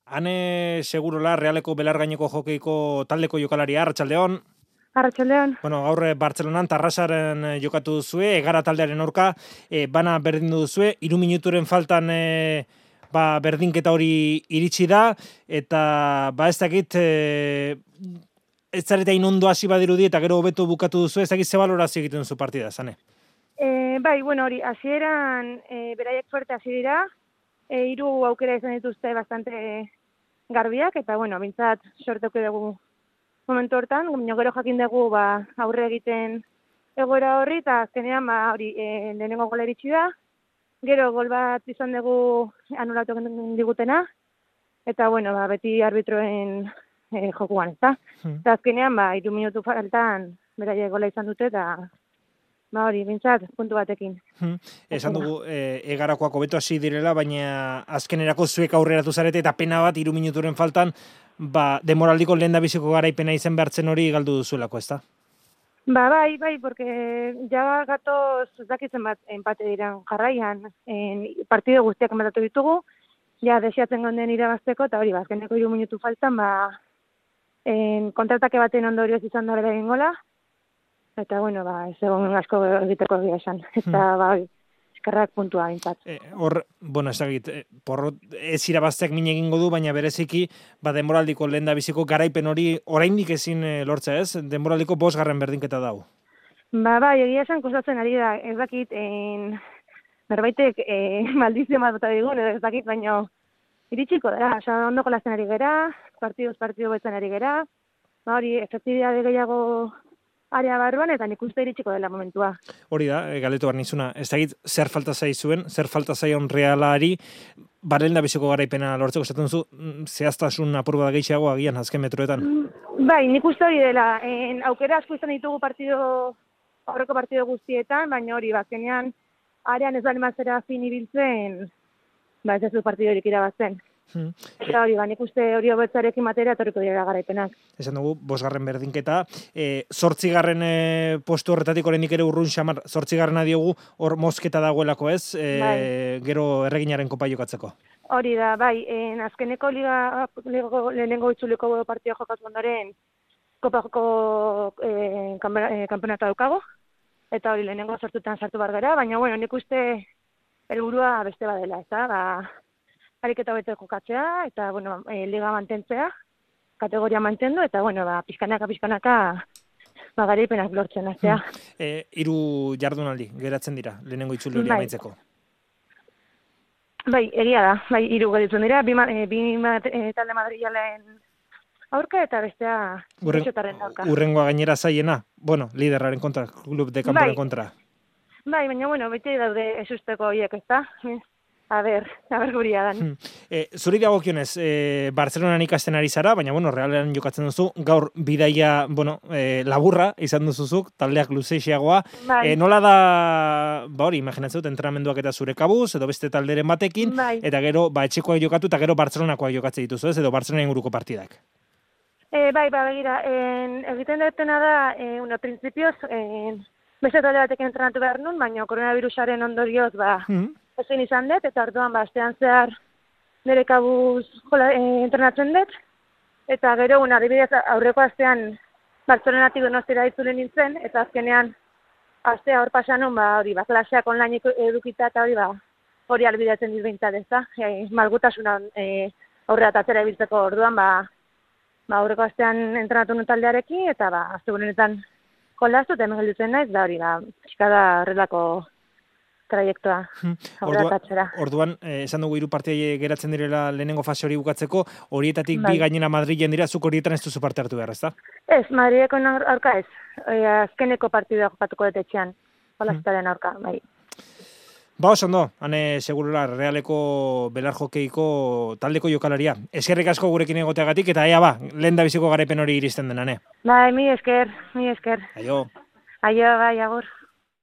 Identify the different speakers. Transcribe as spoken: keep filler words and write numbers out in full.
Speaker 1: Ane Segurola, Realeko belargaineko jokeiko taldeko jokalaria, arratsaldeon.
Speaker 2: Arratsaldeon.
Speaker 1: Bueno, gaur Bartzelonan Tarrasaren jokatu duzue, Egara taldearen aurka, e, bana berdindu duzue, hiru minuturen faltan e, ba, berdinketa hori iritsi da, eta ba ez dakit, e, ez zareta inondo hasi badirudi, eta gero hobeto bukatu duzu, ez dakit ze balorazio egiten duzu partida, zane?
Speaker 2: E, bai, bueno, hori, hasieran e, beraiek fuerte hasi dira, e, hiru aukera izan dituzte bastante garbiak, eta bueno, bintzat sorteuke dugu momentu hortan, baina gero jakin dugu ba, aurre egiten egoera horri, eta azkenean ba, hori e, lehenengo gola iritsi da, gero gol bat izan dugu anulatu digutena, eta bueno, ba, beti arbitroen e, jokuan, ezta?
Speaker 1: Hmm.
Speaker 2: Eta azkenean, ba, hiru minutu faltan beraiek gola izan dute, eta ba hori, bintzat, puntu batekin.
Speaker 1: Hmm. Esan dugu, e, Egarakoak hobeto hasi direla, baina azkenerako zuek aurreratu zarete, eta pena bat, hiru minuturen faltan, ba, demoraldiko lehen da biziko garaipena izen behartzen hori galdu duzuelako, ezta?
Speaker 2: Ba, bai, bai, porque ja gatoz, ez dakitzen bat, empate diren jarraian, en, partido guztiak ematatu ditugu, ja desiatzen gonden irabazteko, eta hori, ba, azkeneko hiru minutu faltan, ba, en, kontratake baten ondorioz izan dara egin gola, eta, bueno, ba, ez egon asko egiteko egia esan. Eta, hmm. ba, eskerrak puntua bintzat.
Speaker 1: Hor, e, bueno, ez dakit, e, porrot, ez irabazteak min egingo du, baina bereziki, ba, denboraldiko lehen da biziko garaipen hori oraindik ezin e, lortzea ez? Denboraldiko bosgarren berdinketa dau.
Speaker 2: Ba, bai, egia esan kostatzen ari da, ez dakit, en, berbaitek e, maldizio bat bota digun, ez dakit, baina iritsiko da, oza, ondo jolasten ari gera, partiduz partidu betzen ari gera, ba, hori, efektibidade gehiago area barruan, eta nik uste iritsiko dela momentua.
Speaker 1: Hori da, galetu behar nizuna, ez dakit zer falta zaizuen, zer falta zaion Realari, baren da biziko garaipena lortzeko esaten duzu, zehaztasun apurba da gehiago agian azken metroetan?
Speaker 2: Bai, nik uste hori dela, en, aukera asko izan ditugu partido, aurreko partido guztietan, baina hori, bazkenean, arean ez bali mazera fin ibiltzen, ba ez ez du partidorik irabazten. Hmm. Eta hori, ba, nik uste hori hobetzarekin matera etorriko dira garaipenak.
Speaker 1: Esan dugu, bosgarren berdinketa, e, zortzigarren e, postu horretatik oraindik ere urrun xamar, zortzigarrena diogu, hor mozketa dagoelako ez, e, bai. Gero erreginaren kopa jokatzeko.
Speaker 2: Hori da, bai, en, azkeneko liga, liga lehenengo itzuliko partida jokatu ondoren, kopako e, kanpenata daukago, eta hori lehenengo sortutan sartu bar gara, baina bueno, nik uste helburua beste badela, eta ba, ariketa bete jokatzea, eta, bueno, e, liga mantentzea, kategoria mantendu, eta, bueno, ba, pizkanaka, pizkanaka, ba, garaipenak lortzen, aztea.
Speaker 1: Hmm. E, iru jardunaldi, geratzen dira, lehenengo itzuli hori amaitzeko.
Speaker 2: Bai, egia da, bai, iru geratzen dira, bi, e, bi e, talde madrialen aurka, eta bestea Urren, aurka.
Speaker 1: Urrengoa gainera zaiena, bueno, liderraren kontra, klub de kanporen
Speaker 2: bai.
Speaker 1: kontra.
Speaker 2: Bai, baina, bueno, beti daude esusteko horiek, ez da? A ber, a ber guria dan.
Speaker 1: Hmm. E, zuri dagokionez, e, Bartzelonan ikasten ari zara, baina, bueno, Realean jokatzen duzu, gaur bidaia, bueno, e, laburra izan duzuzuk, taldeak luzeixiagoa. Bai. E, nola da, ba hori, imaginatzen dut, entrenamenduak eta zure kabuz, edo beste talderen batekin, bai. Eta gero, ba, etxekoak jokatu, eta gero Bartzelonakoak jokatzen dituzu, ez, edo Bartzelona inguruko partidak.
Speaker 2: E, bai, ba, begira, en, egiten dutena da, e, una, prinsipioz, en, beste talde batekin entrenatu behar nun, baina koronavirusaren ondorioz, ba, hmm. ezin izan dut, eta orduan bastean zehar nire kabuz jola, e, entrenatzen dut, eta gero, un, adibidez, aurreko astean Bartzelonatik Donostira itzuli nintzen, eta azkenean astea hor pasanun, ba, hori, ba, klaseak online edukita, eta hori, ba, hori albideatzen dut behintzat, ez da? E, malgutasuna e, aurrera tatzera ibiltzeko orduan, ba, ba, aurreko astean entrenatu nun taldearekin, eta ba, astegunetan jolaztu, eta hemen gelditzen naiz, da hori, ba, eskada horrelako traiektoa,
Speaker 1: Ordua, orduan, eh, esan dugu hiru partida geratzen direla lehenengo fase hori bukatzeko, horietatik bai. Bi gainera Madrilen dira, zuk horietan ez duzu parte hartu behar, ezta?
Speaker 2: Ez, Madrileko aurka ez, e, azkeneko partidua jokatuko dut etxean, jolaztaren aurka, bai.
Speaker 1: Ba, oso ondo, Ane Segurola, Realeko belar jokeiko taldeko jokalaria. Eskerrik asko gurekin egoteagatik, eta ea ba, lehen da biziko garaipen hori iristen den, Ane.
Speaker 2: Bai, mi esker, mi esker.
Speaker 1: Aio.
Speaker 2: Aio, bai, agur.